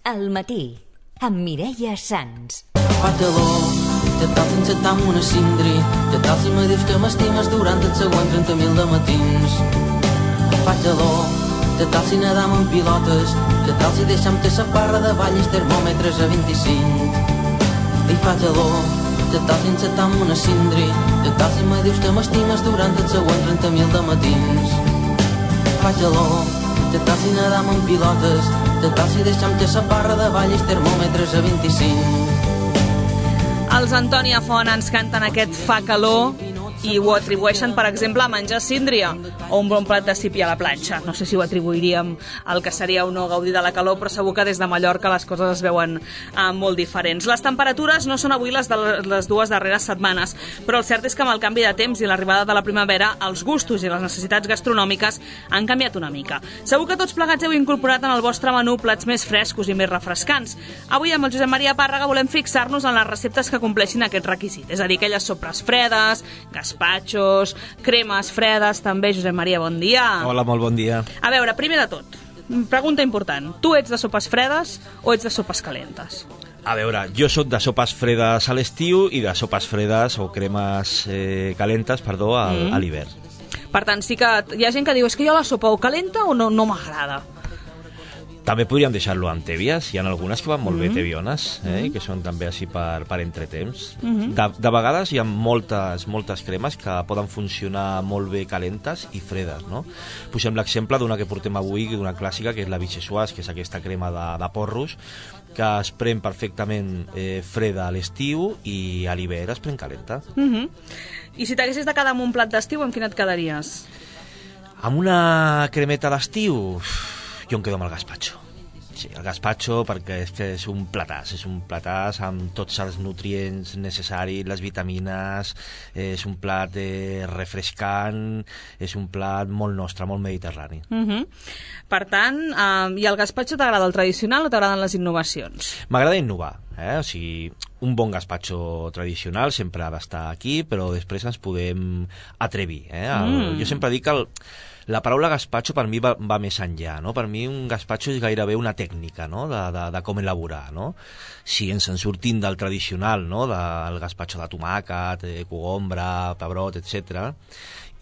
Al matí, amb Mireia Sans. Fa calor, te tal sense tam una cindri, te tal si me dius que m'estimes durant els següents 30.000 de matins. Fa calor, te tal si nedam en pilotes, te tal si deixam te sa parra de ball i termòmetres a 25. I fa calor, te tal si sense tam una cindri, te tal si me dius que m'estimes durant els següents 30.000 de matins. Fa calor, te tal si nedam en pilotes, te tal si deixam te sa parra de ball i termòmetres a 25. Els Antònia Font ens canten aquest Fa calor i ho atribueixen, per exemple, a menjar síndria o un bon plat de sípia a la planxa. No sé si ho atribuiríem al que seria o no gaudir de la calor, però segur que des de Mallorca les coses es veuen molt diferents. Les temperatures no són avui les de les dues darreres setmanes, però el cert és que amb el canvi de temps i l'arribada de la primavera, els gustos i les necessitats gastronòmiques han canviat una mica. Segur que tots plegats heu incorporat en el vostre menú plats més frescos i més refrescants. Avui amb el Josep Maria Pàrraga volem fixar-nos en les receptes que compleixin aquest requisit, és a dir, aquelles sopres fredes, gaspatxos, cremes fredes, també. Josep Maria, bon dia. Hola, molt bon dia. A veure, primer de tot, pregunta important. Tu ets de sopes fredes o ets de sopes calentes? A veure, jo sóc de sopes fredes a l'estiu i de sopes fredes o cremes calentes, perdó, a l'hivern. Per tant, sí que hi ha gent que diu és que jo la sopa o calenta o no m'agrada. També podríem deixar-lo amb tèbies. Hi ha algunes que van molt bé tebiones, que són també així per entretemps. De vegades hi ha moltes cremes que poden funcionar molt bé calentes i fredes, no? Posem l'exemple d'una que portem avui, una clàssica, que és la Vichyssoise, que és aquesta crema de porros, que es pren perfectament freda a l'estiu i a l'hivern es pren calenta. I si t'haguessis de quedar amb un plat d'estiu, amb quin et quedaries? Amb una cremeta d'estiu, jo em quedo amb el gazpacho. Sí, el gazpacho perquè és un platàs amb tots els nutrients necessaris, les vitamines, és un plat refrescant, és un plat molt nostre, molt mediterrani. Per tant, i el gazpacho t'agrada el tradicional o t'agraden les innovacions? M'agrada innovar, o sigui, un bon gazpacho tradicional sempre ha d'estar aquí, però després ens podem atrevir. Jo sempre dic que la paraula gazpacho per mi va més enllà, no? Per mi un gazpacho és gairebé una tècnica, no? de com elaborar, no? Si ens en sortim del tradicional, no? Del gazpacho de tomàquet, cogombra, pebrot, etc.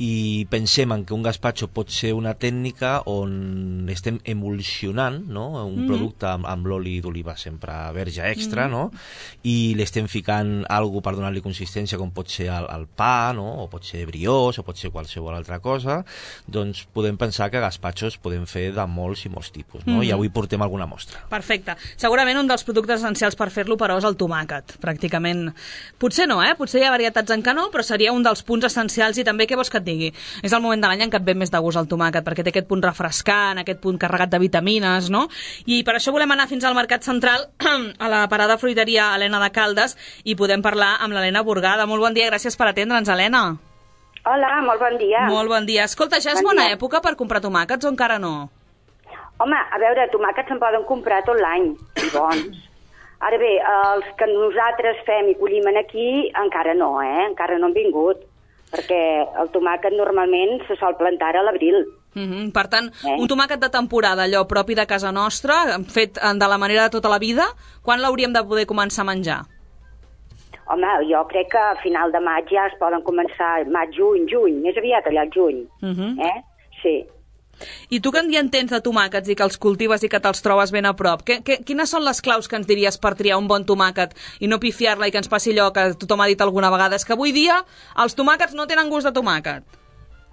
I pensem en que un gazpacho pot ser una tècnica on estem emulsionant, no? Un producte amb l'oli d'oliva sempre verge extra, no? I l'estem ficant alguna per donar-li consistència, com pot ser el pa, no? O pot ser brioche, o pot ser qualsevol altra cosa. Doncs podem pensar que gazpachos podem fer de molts i molts tipus, no? I avui portem alguna mostra. Perfecte. Segurament un dels productes essencials per fer-lo, però, és el tomàquet, pràcticament. Potser no, potser hi ha varietats en què no, però seria un dels punts essencials. I també, què vols que et digui? És el moment de l'any en què et ve més de gust el tomàquet, perquè té aquest punt refrescant, aquest punt carregat de vitamines, no? I per això volem anar fins al Mercat Central, a la parada fruiteria Helena de Caldes, i podem parlar amb l'Helena Burgada. Molt bon dia, gràcies per atendre'ns, Helena. Hola, molt bon dia. Molt bon dia. Escolta, ja és bona època per comprar tomàquets o encara no? Home, a veure, tomàquets se'n poden comprar tot l'any, i bons. Ara bé, els que nosaltres fem i collim aquí, encara no, encara no han vingut, perquè el tomàquet normalment se sol plantar a l'abril. Per tant, un tomàquet de temporada, allò propi de casa nostra, fet de la manera de tota la vida, quan l'hauríem de poder començar a menjar? Home, jo crec que a final de maig ja es poden començar, maig, juny, més aviat allà al juny. Sí. I tu que en entens de tomàquets i que els cultives i que te'ls trobes ben a prop, quines són les claus que ens diries per triar un bon tomàquet i no pifiar-la i que ens passi allò que tothom ha dit alguna vegada, és que avui dia els tomàquets no tenen gust de tomàquet?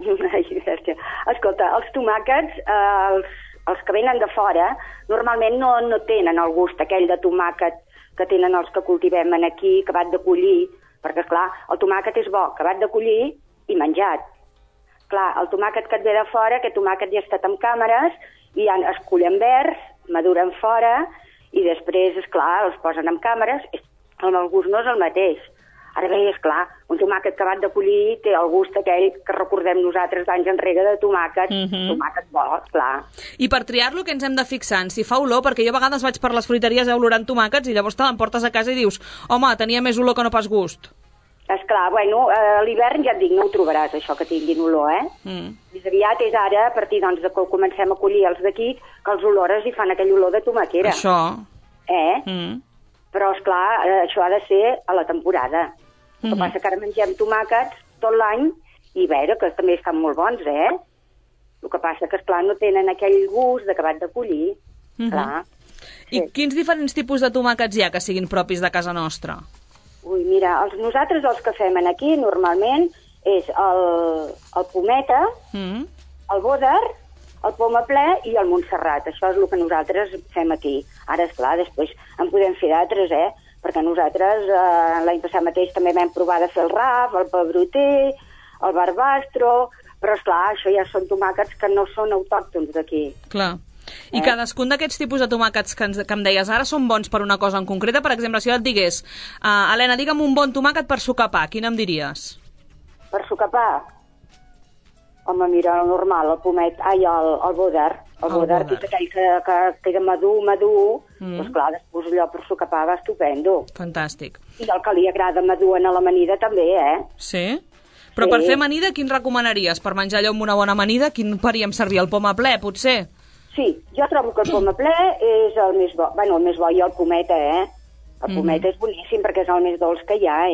Escolta, els tomàquets, els que venen de fora, normalment no tenen el gust aquell de tomàquet que tenen els que cultivem aquí, acabat de collir, perquè, esclar, el tomàquet és bo, acabat de collir i menjat. Clar, el tomàquet que et ve de fora, aquest tomàquet ja ha estat amb càmeres, i ja es cullen verds, maduren fora, i després, esclar, els posen amb càmeres, el gust no és el mateix. Ara bé, esclar, un tomàquet acabat de collir té el gust aquell que recordem nosaltres d'anys enrere de tomàquet, tomàquet bo, esclar. I per triar-lo, què ens hem de fixar? Si fa olor, perquè jo a vegades vaig per les fruiteries olorant tomàquets i llavors te l'emportes a casa i dius, home, tenia més olor que no pas gust. Esclar, bueno, a l'hivern ja et dic, no ho trobaràs, això que tinguin olor, Més aviat és ara, a partir doncs, de que comencem a collir els d'aquí, que els olores i fan aquell olor de tomaquera. Això. Però, esclar, això ha de ser a la temporada. El que passa que ara mengem tomàquets tot l'any i, veure, que també estan molt bons, El que passa que, esclar, no tenen aquell gust d'acabat de collir. Clar. I quins diferents tipus de tomàquets hi ha que siguin propis de casa nostra? Ui, mira, nosaltres els que fem aquí normalment és el pometa, el bòder, el poma ple i el Montserrat. Això és el que nosaltres fem aquí. Ara, esclar, després en podem fer d'altres, perquè nosaltres l'any passat mateix també vam provar de fer el raf, el pebroter, el barbastro, però, esclar, això ja són tomàquets que no són autòctons d'aquí. Clar. I cadascun d'aquests tipus de tomàquets que em deies ara són bons per una cosa en concreta? Per exemple, si jo et digués, Helena, digue'm un bon tomàquet per sucar pa, quin em diries? Per sucar pa? Home, mira, el normal, el pomet, el bòder. El bòder, que és aquell que queda madur, doncs clar, després allò per sucar pa va estupendo. Fantàstic. I el que li agrada madur en l'amanida també, Sí? Però per fer amanida, quin recomanaries? Per menjar allò amb una bona amanida, quin faríem servir? El poma ple, potser? Sí, jo trobo que el poma ple és el més bo. Bueno, el més bo i el pometa, El pometa és boníssim perquè és el més dolç que hi ha,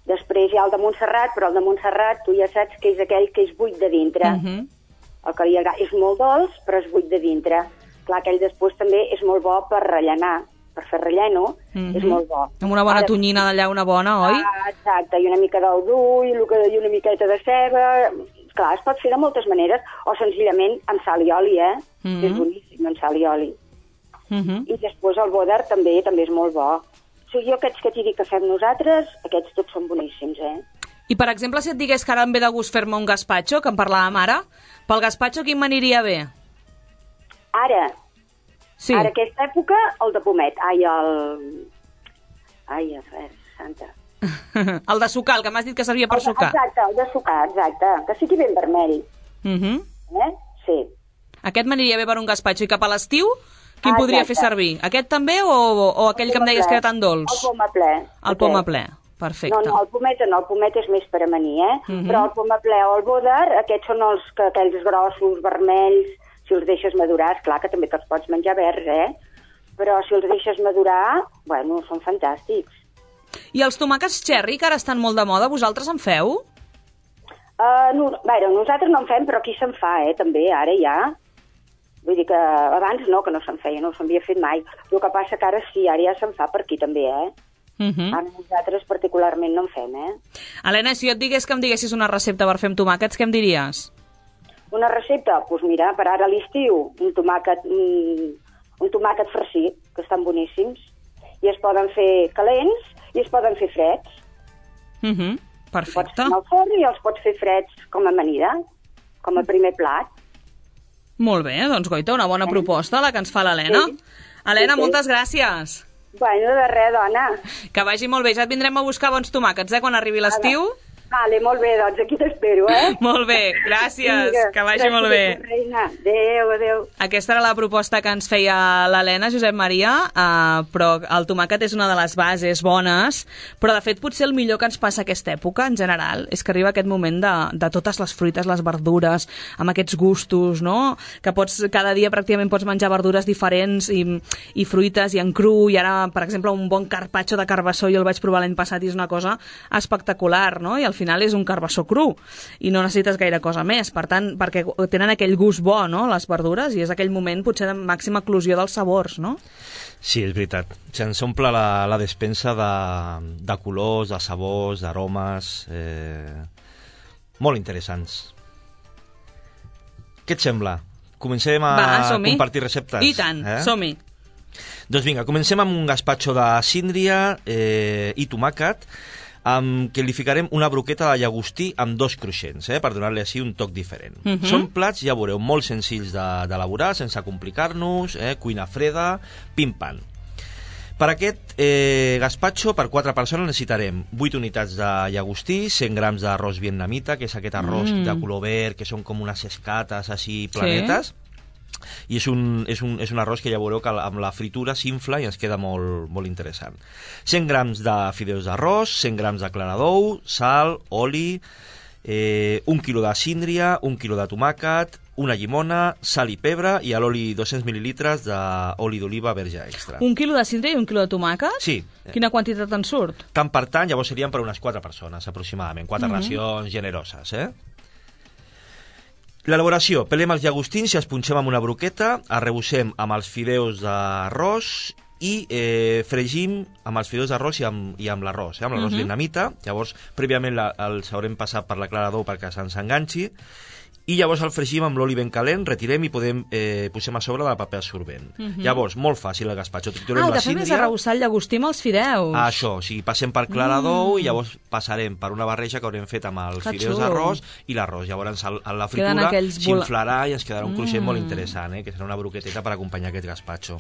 Després hi ha el de Montserrat, però el de Montserrat tu ja saps que és aquell que és buit de dintre. El que li agrada és molt dolç, però és buit de dintre. Clar, aquell després també és molt bo per rellenar, per fer relleno, és molt bo. Amb una bona tonyina d'allà, una bona, oi? Exacte, i una mica d'ou dur, i una miqueta de ceba. Clar, es pot fer de moltes maneres, o senzillament amb sal i oli, que és boníssim, amb sal i oli. I després el bòder també és molt bo. O sigui, jo aquests que t'hi dic que fem nosaltres, aquests tots són boníssims, I, per exemple, si et digués que ara em ve de gust fer-me un gazpacho, que en parlàvem ara, pel gazpacho quin m'aniria bé? Ara? Sí. Ara, aquesta època, el de pomet. Santa. El de sucar, el que m'has dit que servia per sucar. Exacte, el de sucar, exacte. Que sigui ben vermell. Sí. Aquest m'aniria bé per un gazpacho. I cap a l'estiu, quin podria fer servir? Aquest també o aquell que em deies que era tan dolç? El poma ple. El poma ple, perfecte. No, el pomet és més per amanir, Però el poma ple o el bòder, aquests són aquells grossos, vermells, si els deixes madurar, esclar que també te'ls pots menjar verds, Però si els deixes madurar, bueno, són fantàstics. I els tomàquets cherry, que ara estan molt de moda, vosaltres en feu? Nosaltres no en fem, però aquí se'n fa, també, ara ja. Vull dir que abans no, que no se'n feia, no s'havia fet mai. El que passa que ara sí, ara ja se'n fa per aquí també, Ara nosaltres particularment no en fem, Helena, si jo et digués que em diguessis una recepta per fer amb tomàquets, què em diries? Una recepta? Doncs mira, per ara a l'estiu, un tomàquet farcit, que estan boníssims, i es poden fer calents i es poden fer freds. Perfecte. Pots fer al forn i els pots fer freds com a amanida, com a primer plat. Molt bé, doncs goita, una bona proposta la que ens fa l'Helena. Sí. Helena, moltes gràcies. Bueno, de res, dona. Que vagi molt bé, ja et vindrem a buscar bons tomàquets, quan arribi l'estiu. Vale, molt bé, doncs aquí t'espero, Molt bé, gràcies, Vinga, que vagi molt bé. Reina. Adéu. Aquesta era la proposta que ens feia l'Helena, Josep Maria, però el tomàquet és una de les bases bones, però de fet potser el millor que ens passa aquesta època, en general, és que arriba aquest moment de totes les fruites, les verdures, amb aquests gustos, no? Que cada dia pràcticament pots menjar verdures diferents i fruites i en cru, i ara, per exemple, un bon carpaccio de carbassó, jo el vaig provar l'any passat i és una cosa espectacular, no? I al final és un carbassó cru i no necessites gaire cosa més, per tant, perquè tenen aquell gust bo, no?, les verdures, i és aquell moment potser de màxima eclosió dels sabors, no? Sí, és veritat. Se'ns omple la despensa de colors, de sabors, d'aromes, molt interessants. Què et sembla? Comencem a compartir receptes? I tant, som-hi. Doncs vinga, comencem amb un gazpacho de síndria i tomàquet, amb què li ficarem una broqueta de llagostí amb 2 cruixents, per donar-li així un toc diferent. Són plats, ja veureu, molt senzills d'elaborar, sense complicar-nos, cuina freda, pim-pam. Per aquest gazpacho, per 4 persones, necessitarem 8 unitats de llagostí, 100 grams d'arròs vietnamita, que és aquest arròs de color verd, que són com unes escates així planetes, i és un arròs que ja veureu que amb la fritura s'infla i ens queda molt, molt interessant. 100 grams de fideus d'arròs, 100 grams de clara d'ou, sal, oli, 1 quilo de síndria, 1 quilo de tomàquet, una llimona, sal i pebre i a l'oli 200 mil·lilitres d'oli d'oliva verge extra. 1 quilo de síndria i 1 quilo de tomàquet? Sí. Quina quantitat en surt? Tant per tant, llavors serien per unes 4 persones, aproximadament. 4 racions generoses, L'elaboració. Pelem els llagostins i els punxem amb una broqueta, arrebossem amb els fideus d'arròs i fregim amb els fideus d'arròs i amb l'arròs, amb l'arròs vietnamita. Llavors, prèviament els haurem passat per la clara d'ou perquè se'ns enganxi, i llavors el fregim amb l'oli ben calent, retirem i posem a sobre del paper absorbent. Llavors, molt fàcil el gazpacho. El que fem és arrebossar el llagostí amb els fideus. Això, o sigui, passem per clara d'ou i llavors passarem per una barreja que haurem fet amb els fideus d'arròs i l'arròs. Llavors, a la fritura s'inflarà i ens quedarà un cruixent molt interessant, que serà una broqueteta per acompanyar aquest gazpacho.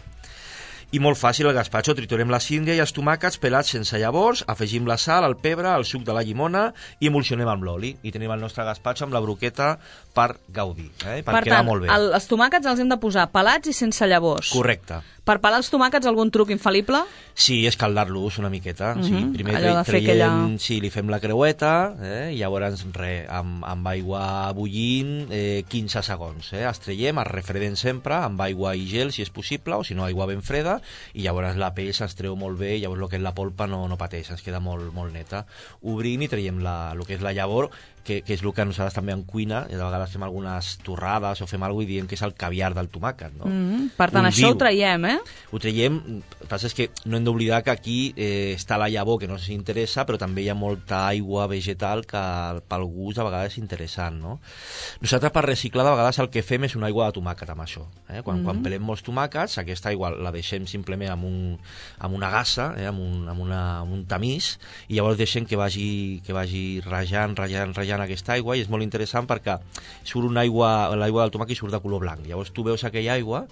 I molt fàcil el gazpacho, triturem la síndria i els tomàquets pelats sense llavors, afegim la sal, el pebre, el suc de la llimona i emulsionem amb l'oli. I tenim el nostre gazpacho amb la broqueta per gaudir, per quedar molt bé. Per tant, els tomàquets els hem de posar pelats i sense llavors. Correcte. Per pelar els tomàquets, algun truc infal·lible? Sí, escaldar-los una miqueta. Primer traiem, li fem la creueta, i llavors amb aigua bullint 15 segons. Els traiem, els refredem sempre amb aigua i gel, si és possible, o si no, aigua ben freda, i llavors la pell se'ns treu molt bé, i llavors el que és la polpa no pateix, ens queda molt neta. Obrim i traiem el que és la llavor, que és el que nosaltres també en cuina, i de vegades fem algunes torrades o fem alguna cosa i diem que és el caviar del tomàquet. Per tant, això ho traiem, Ho traiem, el que passa és que no hem d'oblidar que aquí està la llavor, que no ens interessa, però també hi ha molta aigua vegetal que pel gust a vegades és interessant, no? Nosaltres per reciclar de vegades el que fem és una aigua de tomàquet amb això. Quan pelem molts tomàquets, aquesta aigua la deixem simplement amb una gassa, amb un tamís, i llavors deixem que vagi rajant aquesta aigua, i és molt interessant perquè surt l'aigua del tomàquet i surt de color blanc. Llavors tu veus aquella aigua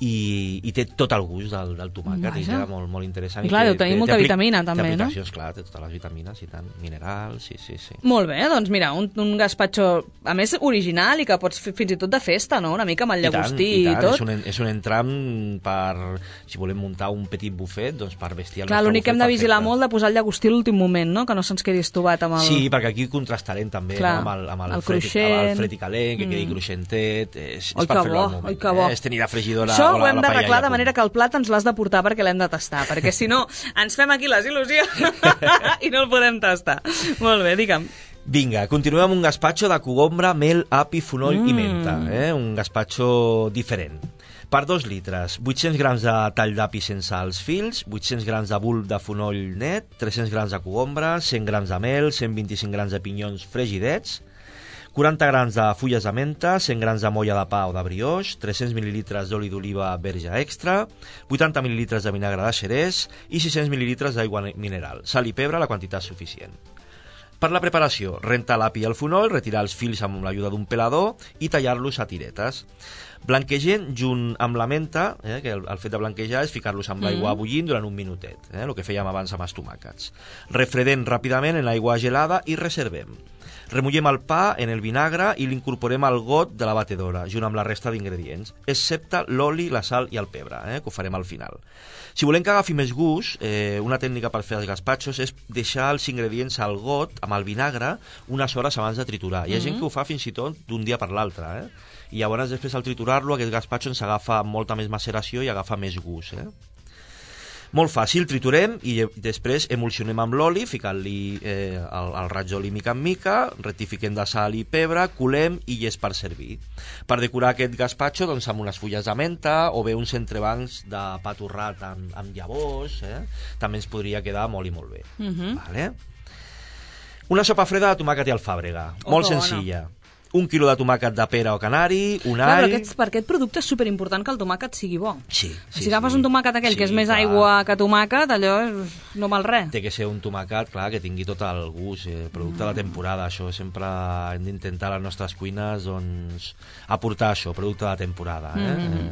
i té tot el gust del tomàquet. I queda molt interessant. I clar, deu tenir molta vitamina també, no? Té aplicacions, clar, té totes les vitamines i tant, minerals, sí. Molt bé, doncs mira, un gazpacho a més original i que pots fer fins i tot de festa, no? Una mica amb el llagostí i tot. És un entram per, si volem muntar un petit bufet, doncs per vestir el nostre bufet. Clar, l'únic que hem de vigilar molt de posar el llagostí a l'últim moment, no? Que no se'ns quedi estovat amb el... Sí, perquè aquí contrastarem també amb el fred i calent, que quedi cruixentet. És per fer-lo al moment. És tenir la fregidora. Ho hem d'arreglar de manera que el plat ens l'has de portar perquè l'hem de tastar, perquè si no ens fem aquí les il·lusions i no el podem tastar. Molt bé, digue'm. Vinga, continuem amb un gazpacho de cogombra, mel, api, fonoll i menta. Un gazpacho diferent. Per 2 litres, 800 grams de tall d'api sense els fils, 800 grams de bulb de fonoll net, 300 grams de cogombra, 100 grams de mel, 125 grams de pinyons fregidets, 40 grams de fulles de menta, 100 grams de molla de pa o de brioix, 300 mil·lilitres d'oli d'oliva verge extra, 80 mil·lilitres de vinagre de xerès i 600 mil·lilitres d'aigua mineral. Sal i pebre, la quantitat suficient. Per la preparació, rentar l'api i el fonoll, retirar els fils amb l'ajuda d'un pelador i tallar-los a tiretes. Blanquegem junt amb la menta, que el fet de blanquejar és ficar-los amb l'aigua bullint durant un minutet, el que fèiem abans amb els tomàquets. Refredem ràpidament en l'aigua gelada i reservem. Remullem el pa en el vinagre i l'incorporem al got de la batedora, junt amb la resta d'ingredients, excepte l'oli, la sal i el pebre, que ho farem al final. Si volem que agafi més gust, una tècnica per fer els gazpachos és deixar els ingredients al got amb el vinagre unes hores abans de triturar. Hi ha gent que ho fa fins i tot d'un dia per l'altre, i llavors després al triturar-lo aquest gazpacho ens agafa molta més maceració i agafa més gust. Molt fàcil, triturem i després emulsionem amb l'oli, ficant-li el raig d'oli mica en mica, rectifiquem de sal i pebre, colem i és per servir. Per decorar aquest gazpacho doncs, amb unes fulles de menta o bé uns entrebancs de pa torrat amb llavors, també ens podria quedar molt i molt bé. Vale? Una sopa freda de tomàquet i alfàbrega, molt senzilla. 1 quilo de tomàquet de pera o canari, un all... Però per aquest producte és superimportant que el tomàquet sigui bo. Sí. Si agafes un tomàquet aquell que és més aigua que tomàquet, allò no val res. Té que ser un tomàquet, clar, que tingui tot el gust, producte de la temporada. Això sempre hem d'intentar a les nostres cuines doncs, aportar això, producte de la temporada.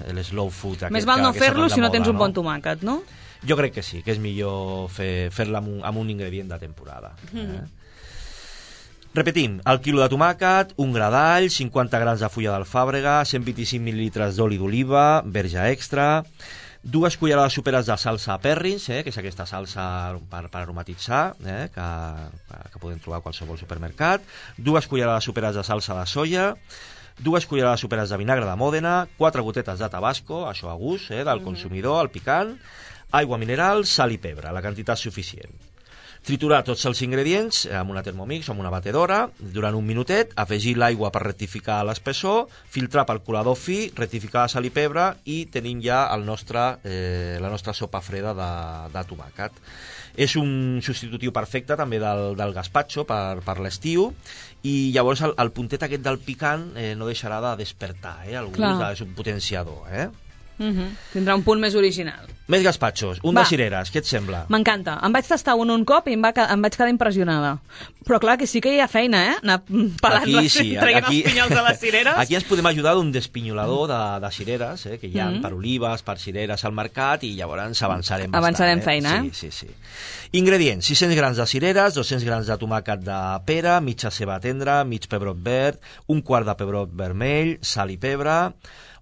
El slow food. Més val no fer-lo si no tens un bon tomàquet, no? Jo crec que sí, que és millor fer-la amb un ingredient de temporada. Repetim, el quilo de tomàquet, un gra d'all, 50 grams de fulla d'alfàbrega, 125 mil·lilitres d'oli d'oliva, verge extra, 2 cullerades soperes de salsa Perrins, que és aquesta salsa per aromatitzar, que podem trobar a qualsevol supermercat, 2 cullerades soperes de salsa de soia, 2 cullerades soperes de vinagre de Mòdena, 4 gotetes de tabasco, això a gust, del consumidor, el picant, aigua mineral, sal i pebre, la quantitat suficient. Triturar tots els ingredients amb una Thermomix o amb una batedora durant un minutet, afegir l'aigua per rectificar l'espessor, filtrar pel colador fi, rectificar la sal i pebre i tenim ja la nostra sopa freda de tomàquet. És un substitutiu perfecte també del gazpacho per l'estiu i llavors el puntet aquest del picant no deixarà de despertar el gust, és un potenciador. Tindrà un punt més original. Més gazpachos, un de cireres, què et sembla? M'encanta, em vaig tastar un cop i em vaig quedar impressionada. Però clar que sí que hi ha feina, anar pelant-les, traient els pinyols de les cireres. Aquí ens podem ajudar d'un despinyolador de cireres, que hi ha per olives, per cireres al mercat, i llavors avançarem bastant. Avançarem feina, Sí. Ingredients, 600 grams de cireres, 200 grams de tomàquet de pera, mitja ceba tendra, mig pebrot verd, un quart de pebrot vermell, sal i pebre,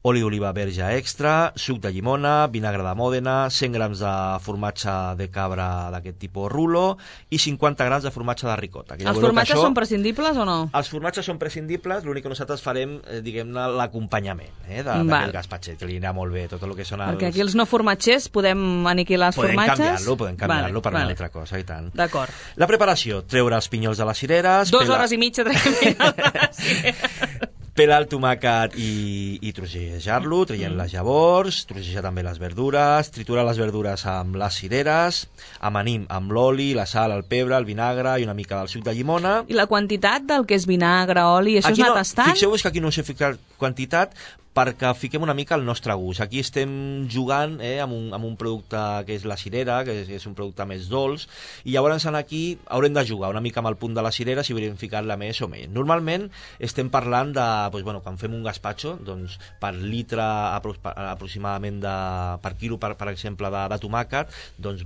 oli d'oliva verge extra, suc de llimona, vinagre de Mòdena, 100 grams de formatge de cabra d'aquest tipus rulo i 50 grams de formatge de ricota. Els formatges són prescindibles o no? Els formatges són prescindibles, l'únic que nosaltres farem, diguem-ne, l'acompanyament d'aquest gazpachet, que li anirà molt bé tot el que són els... Perquè aquí els no formatgers podem aniquilar els formatges? Podem canviar-lo per una altra cosa, i tant. D'acord. La preparació, treure els pinyols de les cireres... 2 hores i mitja traient pinyols de les cireres. Pelar el tomàquet i trossejar-lo, traient les llavors, trossejar també les verdures, triturar les verdures amb les cireres, amanim amb l'oli, la sal, el pebre, el vinagre i una mica del suc de llimona. I la quantitat del que és vinagre, oli, això és anar tastant? Fixeu-vos que aquí no us he ficat quantitat perquè fiquem una mica el nostre gust. Aquí estem jugant amb un producte que és la cirera, que és un producte més dolç, i llavors aquí haurem de jugar una mica amb el punt de la cirera si volem ficar-la més o menys. Normalment estem parlant de, quan fem un gazpacho, doncs, per litre aproximadament per quilo, per exemple, de tomàquet, doncs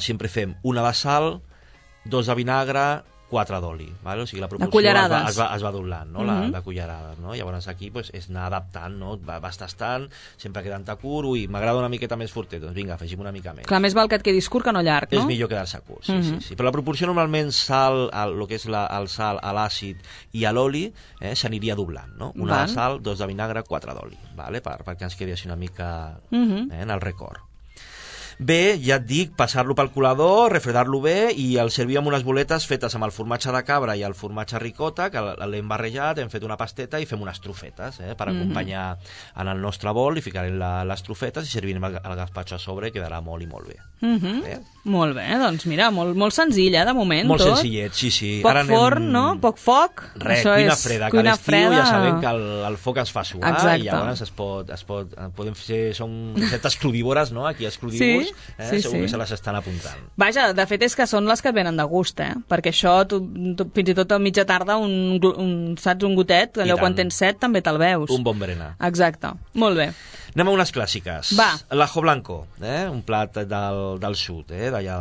sempre fem una de sal, 2 de vinagre, 4 d'oli, o sigui, la proporció es va doblant, no? De cullerades, no? Llavors aquí és anar adaptant, no? Vas tastant, sempre quedant a curt, m'agrada una miqueta més fortet, doncs vinga, afegim una mica més. Clar, més val que et quedis curt que no llarg, no? És millor quedar-se curt, sí. Però la proporció normalment sal, el que és el sal, l'àcid i l'oli, s'aniria doblant, no? Una de sal, 2 de vinagre, 4 d'oli, perquè ens quedi així una mica en el record. Bé, ja et dic, passar-lo pel colador, refredar-lo bé i el servir amb unes boletes fetes amb el formatge de cabra i el formatge ricota, que l'hem barrejat, hem fet una pasteta i fem unes trufetes per acompanyar en el nostre bol, i ficarem les trufetes i servirem el gazpacho a sobre i quedarà molt i molt bé. Molt bé, doncs mira, molt senzill, de moment. Molt senzillet, sí. Poc forn, no? Poc foc. Res, cuina freda, que a l'estiu ja sabem que el foc es fa suar. Exacte. I llavors podem fer, són receptes crudívores, no? Aquí els crudívors segur que se les estan apuntant. Vaja, de fet és que són les que venen de gust, perquè això, tu fins i tot a mitja tarda, saps, un gotet, allò quan tens set també te'l veus. Un bon berenar. Exacte, molt bé. Anem a unes clàssiques. Va. L'ajo blanco, un plat del sud, d'allà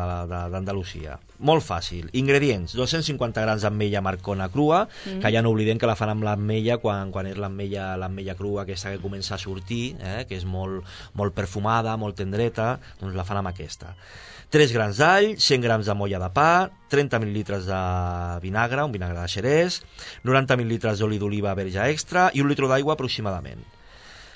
d'Andalusia. Molt fàcil. Ingredients: 250 grams d'ametlla marcona crua, que ja no oblidem que la fan amb l'ametlla quan és l'ametlla crua, aquesta que comença a sortir, que és molt perfumada, molt tendreta, doncs la fan amb aquesta. 3 grans d'all, 100 grams de molla de pa, 30 mil·lilitres de vinagre, un vinagre de xerès, 90 mil·lilitres d'oli d'oliva verge extra i 1 litre d'aigua aproximadament.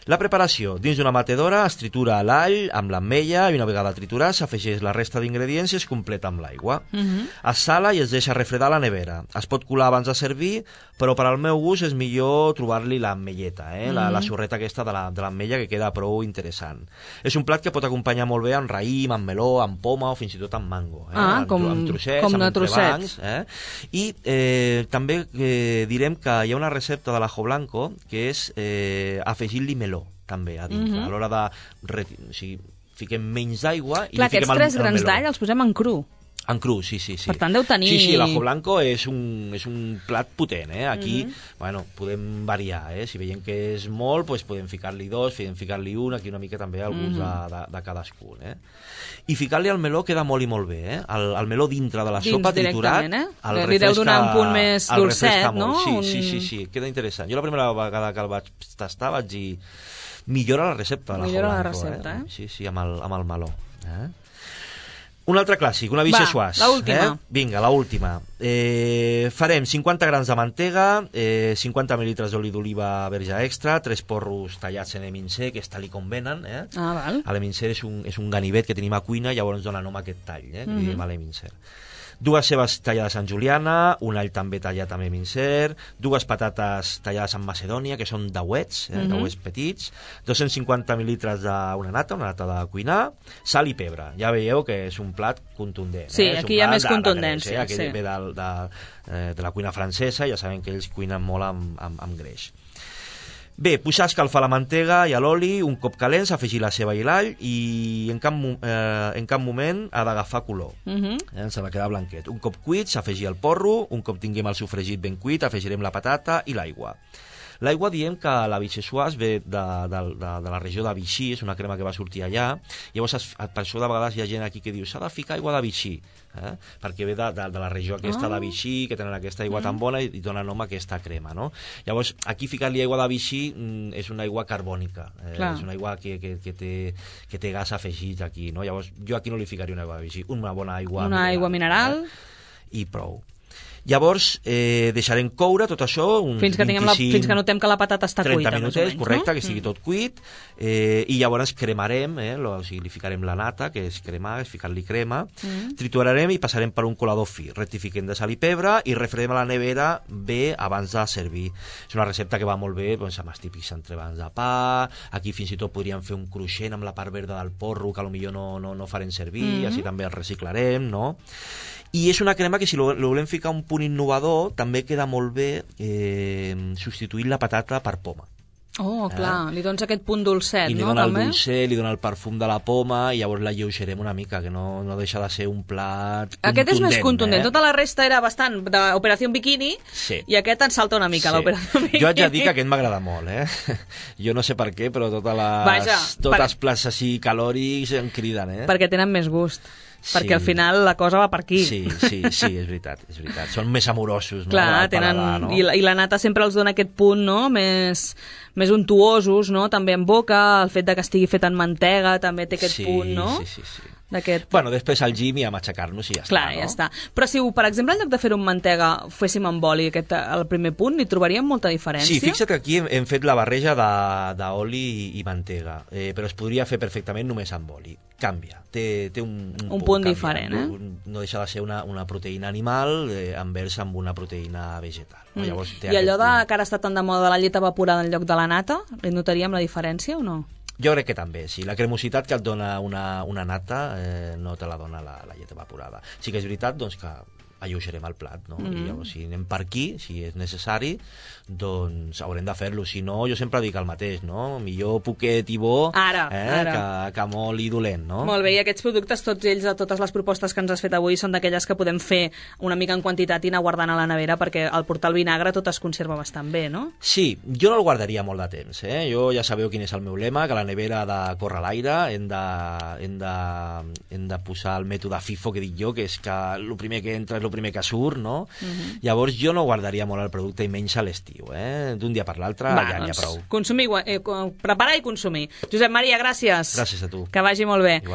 La preparació: dins d'una batedora es tritura l'all amb l'ametlla i una vegada triturat s'afegeix la resta d'ingredients i es completa amb l'aigua. Es sala i es deixa refredar a la nevera. Es pot colar abans de servir, però per al meu gust és millor trobar-li l'ametlleta, la sorreta aquesta de l'ametlla, que queda prou interessant. És un plat que pot acompanyar molt bé amb raïm, amb meló, amb poma o fins i tot amb mango. Amb trossets, amb entrebancs. I també direm que hi ha una recepta de l'ajo blanco que és afegir-li meló també a dintre, a l'hora de... O sigui, fiquem menys d'aigua i li fiquem el meló. Aquests 3 grans d'all els posem en cru. En cru, sí. Per tant, deu tenir... Sí, l'ajo blanco és un plat potent, Aquí, podem variar, Si veiem que és molt, podem ficar-li 2, podem ficar-li 1, aquí una mica també al gust de cadascun, I ficar-li el meló queda molt i molt bé, El meló dintre de la sopa triturat... Li deu donar un punt més dolcet, no? Sí, queda interessant. Jo la primera vegada que el vaig tastar vaig dir... Millora la recepta de l'ajo blanco. Millora la recepta, Sí, amb el meló. Un altre clàssic, una vichyssoise. l'última. Vinga, l'última. Farem 50 grams de mantega, 50 mil·litres d'oli d'oliva verge extra, 3 porros tallats en emincer, que és tal i com venen. Val. L'emincer és un ganivet que tenim a cuina, llavors dona nom a aquest tall, que diem a l'emincer. 2 cebes tallades en juliana, un all també tallat amb emincer, 2 patates tallades en macedònia, que són dauets, dauets petits, 250 mil·litres d'una nata de cuinar, sal i pebre. Ja veieu que és un plat contundent. Sí, aquí hi ha més contundència. Aquí ve de la cuina francesa, ja sabem que ells cuinen molt amb greix. Bé, pujar a escalfar la mantega i l'oli, un cop calents, afegir la ceba i l'all i en cap moment ha d'agafar color. S'ha de quedar blanquet. Un cop cuit, s'afegir el porro, un cop tinguem el sofregit ben cuit, afegirem la patata i l'aigua. L'aigua diem que la vichyssoise ve de la regió de Vichy, és una crema que va sortir allà, llavors per això de vegades hi ha gent aquí que diu s'ha de ficar aigua de Vichy, perquè ve de la regió aquesta de Vichy, que tenen aquesta aigua tan bona i dona nom a aquesta crema, no? Llavors, aquí ficar-li aigua de Vichy és una aigua carbònica, és una aigua que té gas afegit aquí, no? Llavors, jo aquí no li ficaria una aigua de Vichy, una bona aigua mineral i prou. Llavors deixarem coure tot això fins que notem que la patata està cuita, 30 minutets, correcte, que estigui tot cuit, i llavors cremarem, o sigui, li ficarem la nata, que és cremar, és ficar-li crema, triturarem i passarem per un colador fi, rectifiquem de sal i pebre i refredem a la nevera bé abans de servir. És una recepta que va molt bé amb els típics entrepans de pa, aquí fins i tot podríem fer un cruixent amb la part verda del porro que potser no farem servir, així també el reciclarem, no? I és una crema que si lo volem ficar un punt innovador també queda molt bé substituint la patata per poma. Oh, clar, li dones aquest punt dolcet, no? I li dona el dolcet, li dona el perfum de la poma i llavors la lleugerem una mica, que no deixa de ser un plat contundent. Aquest és més contundent, tota la resta era bastant d'Operació Bikini i aquest en salta una mica, l'Operació Bikini. Jo haig de dir que aquest m'agrada molt, Jo no sé per què, però tots els plats així calòrics em criden, Perquè tenen més gust. Perquè al final la cosa va per aquí. Sí, és veritat. Són més amorosos, no? Clar, tenen... no? I la nata sempre els dona aquest punt, no?, més untuosos, no?, també en boca, el fet de que estigui fet en mantega també té aquest punt, no? Sí. Bueno, després al gym i a matxacar-nos i ja està, clar, ja està. Però si, per exemple, en lloc de fer-ho amb mantega féssim amb oli, el primer punt, hi trobaríem molta diferència? Sí, fixa't que aquí hem fet la barreja d'oli i mantega, però es podria fer perfectament només amb oli. Canvia, té un punt diferent, No deixa de ser una proteïna animal envers amb una proteïna vegetal. Llavors, I allò que ara està tan de moda de la llet evaporada en lloc de la nata, li notaríem la diferència o no? Jo crec que també, sí. La cremositat que et dona una nata no te la dona la llet evaporada. Sí que és veritat doncs, que alleugerem el plat, no? I llavors, si anem per aquí, si és necessari, doncs haurem de fer-lo. Si no, jo sempre dic el mateix, no? Millor poquet i bo ara. Que molt i dolent, no? Molt bé, i aquests productes, tots ells, de totes les propostes que ens has fet avui, són d'aquelles que podem fer una mica en quantitat i anar guardant a la nevera, perquè al portar el vinagre tot es conserva bastant bé, no? Sí, jo no el guardaria molt de temps, Jo ja sabeu quin és el meu lema, que la nevera ha de córrer l'aire, hem de posar el mètode FIFO, que dic jo, que és que el primer que entra és el primer que surt, no? Llavors jo no guardaria molt el producte i menys a l'estiu, D'un dia per l'altre ja n'hi ha prou. Consumir, preparar i consumir. Josep Maria, gràcies. Gràcies a tu. Que vagi molt bé. Igual.